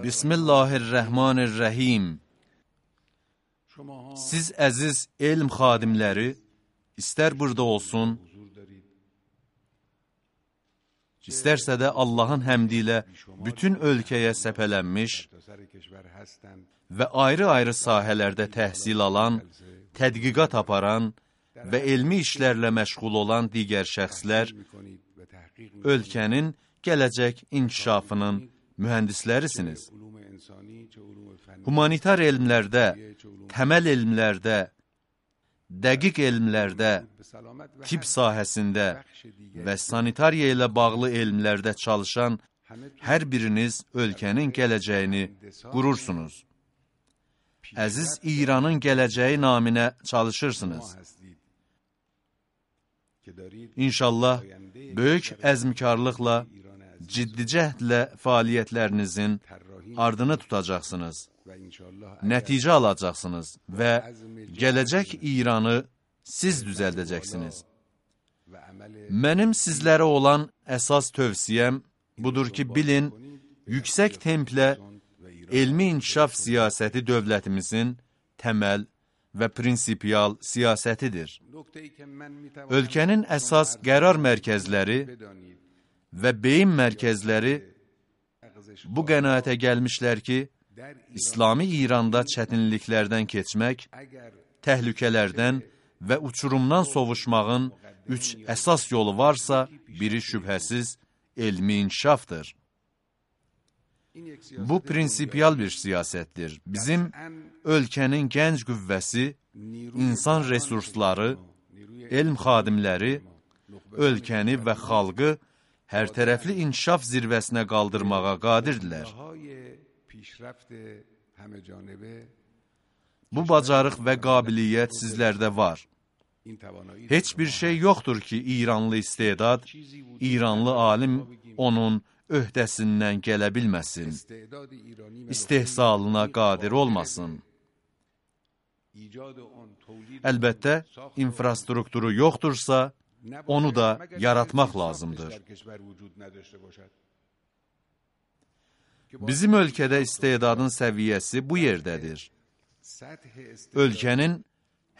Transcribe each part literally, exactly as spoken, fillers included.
Bismillahirrahmanirrahim. Siz əziz elm xadimləri, istər burada olsun, istərsə də Allahın həmdi ilə bütün ölkəyə səpələnmiş və ayrı-ayrı sahələrdə təhsil alan, tədqiqat aparan və elmi işlərlə məşğul olan digər şəxslər, ölkənin gələcək inkişafının mühəndislərisiniz. Humanitar elmlərdə, təməl elmlərdə, dəqiq elmlərdə, tibb sahəsində və sanitariya ilə bağlı elmlərdə çalışan hər biriniz ölkənin gələcəyini qurursunuz. Əziz İranın gələcəyi naminə çalışırsınız. İnşallah, böyük əzmkarlıqla, ciddi cəhdlə fəaliyyətlərinizin ardını tutacaqsınız, nəticə alacaqsınız və gələcək İranı siz düzəldəcəksiniz. Mənim sizlərə olan əsas tövsiyəm budur ki, bilin, yüksək templə elmi inkişaf siyasəti dövlətimizin təməl və prinsipial siyasətidir. Ölkənin əsas qərar mərkəzləri və beyin mərkəzləri bu qənaətə gəlmişlər ki, İslami İranda çətinliklərdən keçmək, təhlükələrdən və uçurumdan sovuşmağın üç əsas yolu varsa, biri şübhəsiz elmi inkişafdır. Bu prinsipial bir siyasətdir. Bizim ölkənin gənc qüvvəsi, insan resursları, elm xadimləri, ölkəni və xalqı hər tərəfli inkişaf zirvəsinə qaldırmağa qadirdirlər. Bu bacarıq və qabiliyyət sizlərdə var. Heç bir şey yoxdur ki, İranlı istedad, İranlı alim onun öhdəsindən gələ bilməsin, istehsalına qadir olmasın. Əlbəttə, infrastrukturu yoxdursa, onu da yaratmaq lazımdır. Bizim ölkədə istedadın səviyyəsi bu yerdədir. Ölkənin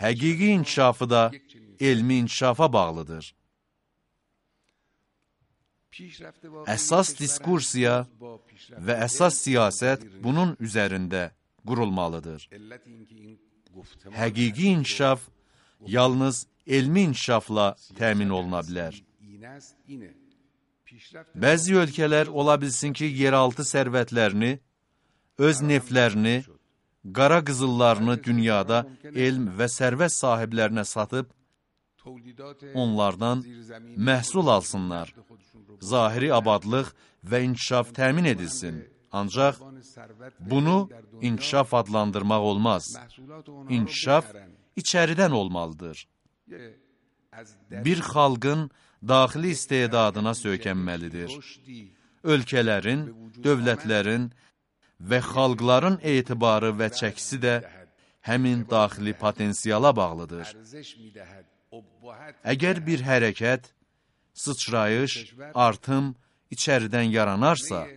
həqiqi inkişafı da elmi inkişafa bağlıdır. Əsas diskursiya və əsas siyasət bunun üzərində qurulmalıdır. Həqiqi inkişaf yalnız elmi inkişafla təmin oluna bilər. Bəzi ölkələr ola bilsin ki, yeraltı sərvətlərini, öz neftlərini, qara qızıllarını dünyada elm və sərvət sahiblərinə satıb, onlardan məhsul alsınlar. Zahiri abadlıq və inkişaf təmin edilsin. Ancaq bunu inkişaf adlandırmaq olmaz. İnkişaf içəridən olmalıdır. Bir xalqın daxili istedadına söykənməlidir. Ölkələrin, dövlətlərin və xalqların etibarı və çəkisi də həmin daxili potensiala bağlıdır. Əgər bir hərəkət, sıçrayış, artım içəridən yaranarsa,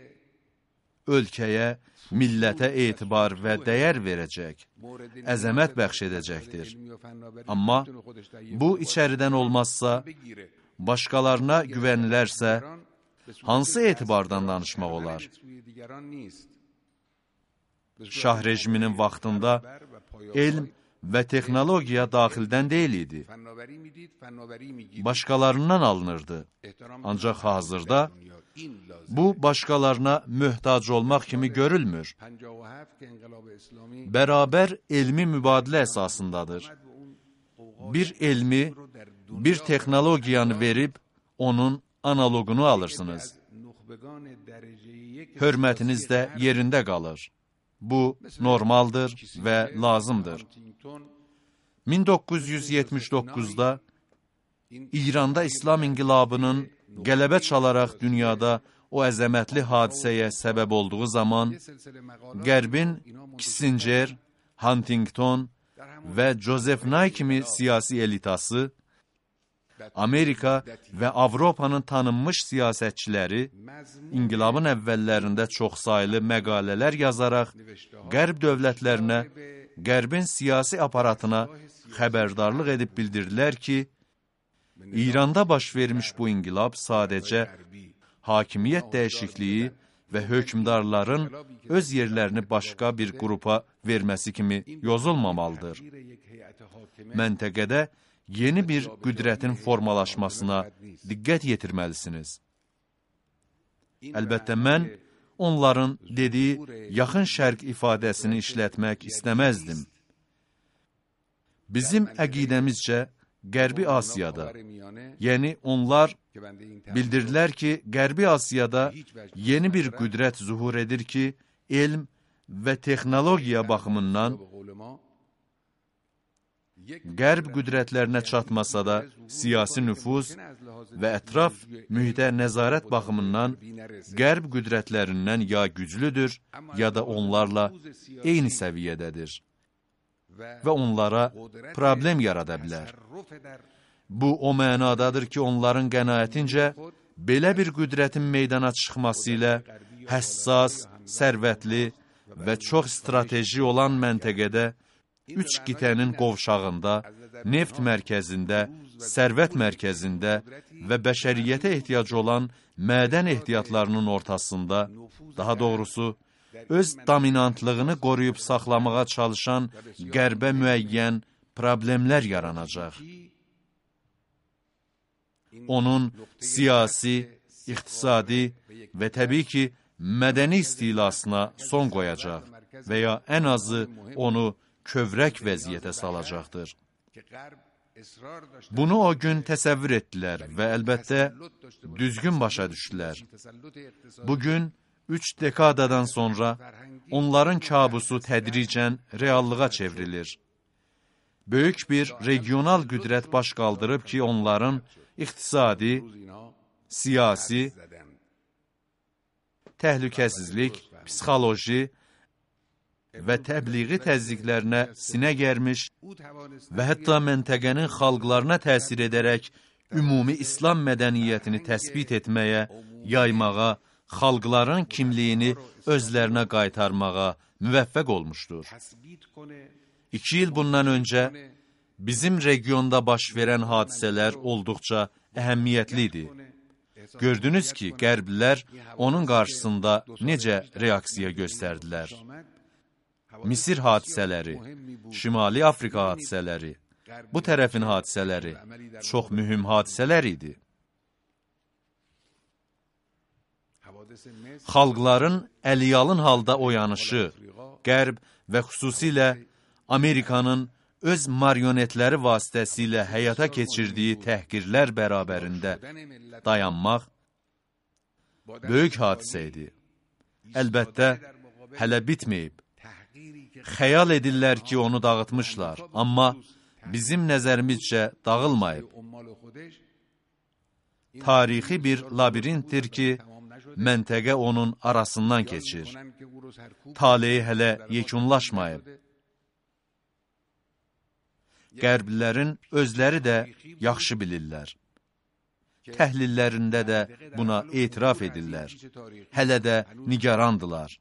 ölkəyə, millətə etibar və dəyər verəcək, əzəmət bəxş edəcəkdir. Amma bu içəridən olmazsa, başqalarına güvənilərsə, hansı etibardan danışmaq olar? Şah rejiminin vaxtında elm və texnologiya daxildən deyil idi. Başqalarından alınırdı. Ancaq hazırda bu başqalarına möhtac olmaq kimi görülmür. Bərabər elmi mübadilə əsasındadır. Bir elmi, bir texnologiyanı verib, onun analogunu alırsınız. Hörmətiniz də yerində qalır. Bu, normaldır və lazımdır. min doqquz yüz yetmiş doqquzda İranda İslam inqilabının qələbə çalaraq dünyada o əzəmətli hadisəyə səbəb olduğu zaman, Qərbin Kissinger, Huntington və Joseph Nye kimi siyasi elitası, Amerika və Avropanın tanınmış siyasətçiləri inqilabın əvvəllərində çoxsaylı məqalələr yazaraq Qərb dövlətlərinə, Qərbin siyasi aparatına xəbərdarlıq edib bildirdilər ki, İranda baş vermiş bu inqilab sadəcə hakimiyyət dəyişikliyi və hökmdarların öz yerlərini başqa bir qrupa verməsi kimi yozulmamalıdır. Məntəqədə yeni bir qüdrətin formalaşmasına diqqət yetirməlisiniz. Əlbəttə, mən onların dediyi yaxın şərq ifadəsini işlətmək istəməzdim. Bizim əqidəmizcə, Qərbi Asiyada, yəni onlar bildirdilər ki, Qərbi Asiyada yeni bir qüdrət zuhur edir ki, elm və texnologiya baxımından Qərb qüdrətlərinə çatmasa da, siyasi nüfuz və ətraf mühitə nəzarət baxımından Qərb qüdrətlərindən ya güclüdür, ya da onlarla eyni səviyyədədir və onlara problem yarada bilər. Bu, o mənadadır ki, onların qənaətincə, belə bir qüdrətin meydana çıxması ilə həssas, sərvətli və çox strateji olan məntəqədə üç qitənin qovşağında, neft mərkəzində, sərvət mərkəzində və bəşəriyyətə ehtiyacı olan mədən ehtiyatlarının ortasında, daha doğrusu, öz dominantlığını qoruyub saxlamağa çalışan Qərbə müəyyən problemlər yaranacaq. Onun siyasi, iqtisadi və təbii ki, mədəni istilasına son qoyacaq və ya ən azı onu kövrək vəziyyətə salacaqdır. Bunu o gün təsəvvür etdilər və əlbəttə düzgün başa düşdülər. Bugün, üç dekadadan sonra onların kabusu tədricən reallığa çevrilir. Böyük bir regional qüdrət baş qaldırıb ki, onların iqtisadi, siyasi, təhlükəsizlik, psixoloji və təbliği təzyiqlərinə sinə gərmiş və hətta məntəqənin xalqlarına təsir edərək ümumi İslam mədəniyyətini təsbit etməyə, yaymağa, xalqların kimliyini özlərinə qaytarmağa müvəffəq olmuşdur. İki il bundan öncə bizim regionda baş verən hadisələr olduqca əhəmiyyətli idi. Gördünüz ki, Qərblilər onun qarşısında necə reaksiya göstərdilər. Misir hadisələri, Şimali Afrika hadisələri, bu tərəfin hadisələri çox mühüm hadisələr idi. Xalqların əliyalın halda oyanışı, Qərb və xüsusilə Amerikanın öz marionetləri vasitəsilə həyata keçirdiyi təhqirlər bərabərində dayanmaq böyük hadisə idi. Əlbəttə, hələ bitməyib. Xəyal edirlər ki, onu dağıtmışlar, amma bizim nəzərimizcə dağılmayıb. Tarixi bir labirintdir ki, məntəqə onun arasından keçir. Taleyi hələ yekunlaşmayıb. Qərblilərin özləri də yaxşı bilirlər. Təhlillərində də buna etiraf edirlər. Hələ də nigarandılar.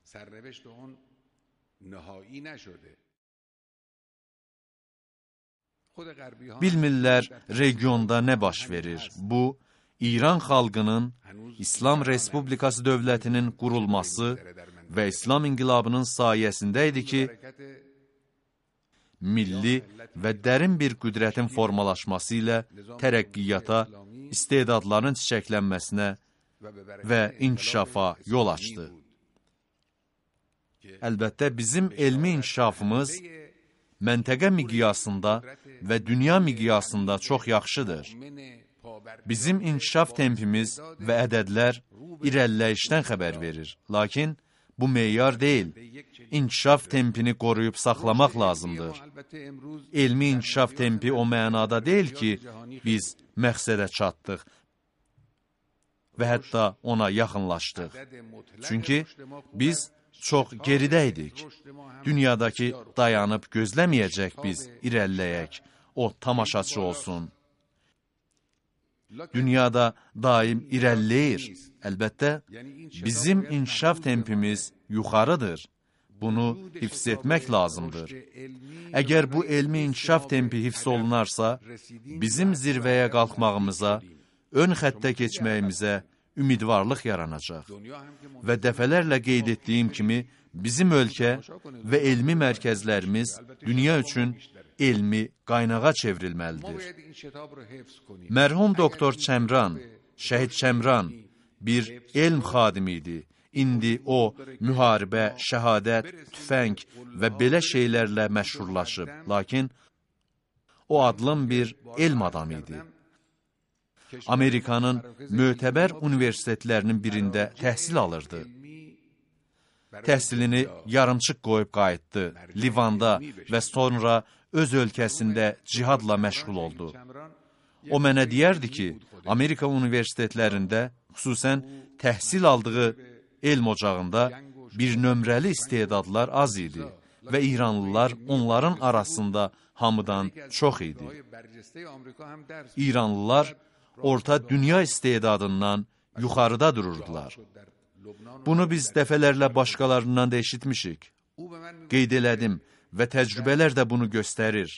Bilmirlər regionda nə baş verir. Bu, İran xalqının İslam Respublikası dövlətinin qurulması və İslam inqilabının sayəsində idi ki, milli və dərin bir qüdrətin formalaşması ilə tərəqqiyata, istedadların çiçəklənməsinə və inkişafa yol açdı. Əlbəttə, bizim elmi inkişafımız məntəqə miqyasında və dünya miqyasında çox yaxşıdır. Bizim inkişaf tempimiz və ədədlər irəliləyişdən xəbər verir. Lakin bu meyar deyil. İnkişaf tempini qoruyub saxlamaq lazımdır. Elmi inkişaf tempi o mənada deyil ki, biz məqsədə çatdıq və hətta ona yaxınlaşdıq. Çünki biz çox geridəydik. Dünyadakı dayanıb gözləməyəcək biz irəliləyək, o tamaşaçı olsun. Dünyada daim irəliləyir. Əlbəttə, bizim inkişaf tempimiz yuxarıdır. Bunu hifz etmək lazımdır. Əgər bu elmi inkişaf tempi hifz olunarsa, bizim zirvəyə qalxmağımıza, ön xəttə keçməyimizə ümidvarlıq yaranacaq. Və dəfələrlə qeyd etdiyim kimi, bizim ölkə və elmi mərkəzlərimiz dünya üçün elmi qaynağa çevrilməlidir. Mərhum doktor Çəmran, Şəhid Çəmran bir elm xadimi idi. İndi o, müharibə, şəhadət, tüfəng və belə şeylərlə məşhurlaşıb. Lakin o adlım bir elm adamı idi. Amerikanın mötəbər universitetlərinin birində təhsil alırdı. Təhsilini yarımçıq qoyub qayıtdı. Livanda və sonra öz ölkəsində cihadla məşğul oldu. O mənə deyərdi ki, Amerika universitetlərində, xüsusən təhsil aldığı elm ocağında bir nömrəli istedadlar az idi və İranlılar onların arasında hamıdan çox idi. İranlılar orta dünya istedadından yuxarıda dururdular. Bunu biz dəfələrlə başqalarından da eşitmişik. Qeyd elədim və təcrübələr də bunu göstərir.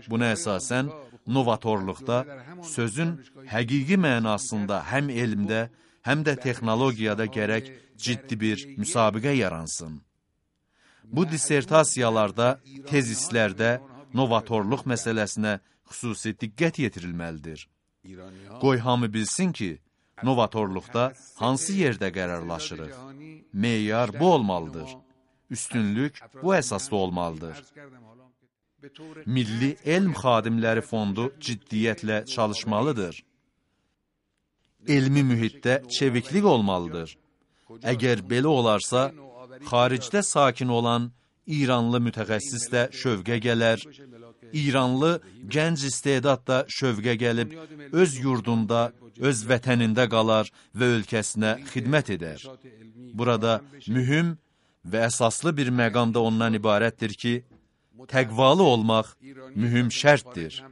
Buna əsasən, novatorluqda sözün həqiqi mənasında həm elmdə, həm də texnologiyada gərək ciddi bir müsabiqə yaransın. Bu dissertasiyalarda, tezislərdə novatorluq məsələsinə xüsusi diqqət yetirilməlidir. Qoy hamı bilsin ki, novatorluqda hansı yerdə qərarlaşırıq? Meyar bu olmalıdır. Üstünlük bu əsasda olmalıdır. Milli Elm Xadimləri Fondu ciddiyyətlə çalışmalıdır. Elmi mühitdə çeviklik olmalıdır. Əgər belə olarsa, xaricdə sakin olan İranlı mütəxəssis də şövqə gələr, İranlı gənc istedad da şövqə gəlib, öz yurdunda, öz vətənində qalar və ölkəsinə xidmət edər. Burada mühüm və əsaslı bir məqam da ondan ibarətdir ki, təqvalı olmaq mühüm şərtdir.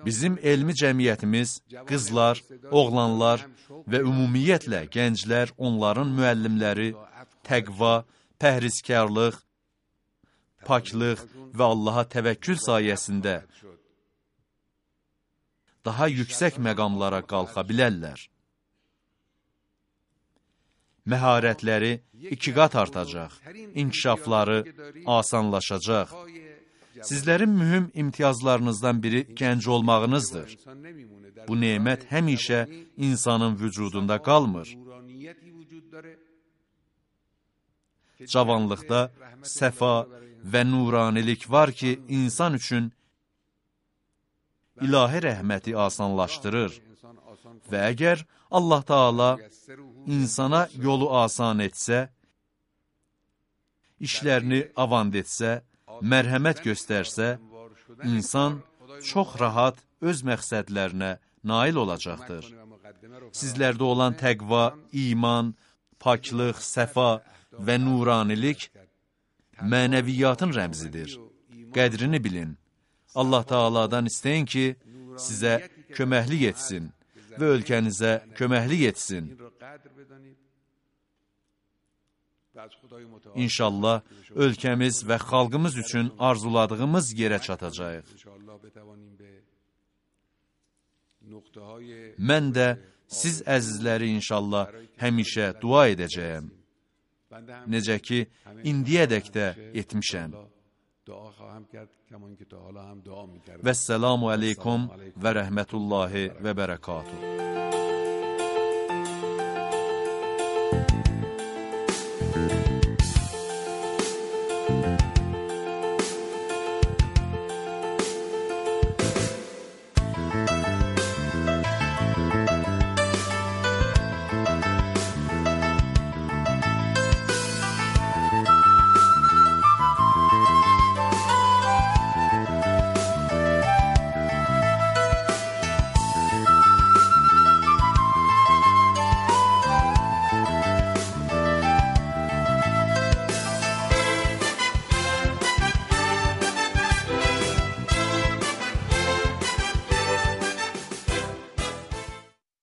Bizim elmi cəmiyyətimiz, qızlar, oğlanlar və ümumiyyətlə gənclər, onların müəllimləri, təqva, pəhrizkarlıq, paklıq və Allaha təvəkkül sayəsində daha yüksək məqamlara qalxa bilərlər. Məharətləri iki qat artacaq, inkişafları asanlaşacaq. Sizlərin mühüm imtiyazlarınızdan biri gənc olmağınızdır. Bu nemət həmişə insanın vücudunda qalmır. Cavanlıqda səfa və nuranilik var ki, insan üçün ilahi rəhməti asanlaşdırır. Və əgər Allah Taala insana yolu asan etsə, işlərini avant etsə, mərhəmət göstərsə, insan çox rahat öz məqsədlərinə nail olacaqdır. Sizlərdə olan təqva, iman, paklıq, səfa və nuranilik mənəviyyatın rəmzidir. Qədrini bilin. Allah Taala'dan istəyin ki, sizə köməklik etsin və ölkənizə köməklik etsin. İnşallah, ölkəmiz və xalqımız üçün arzuladığımız yerə çatacağıq. Mən də siz əzizləri inşallah həmişə dua edəcəyəm. Necə ki, indiyədək də etmişəm. Vəsselamu aleykum və rəhmətullahi və bərəkatuhu.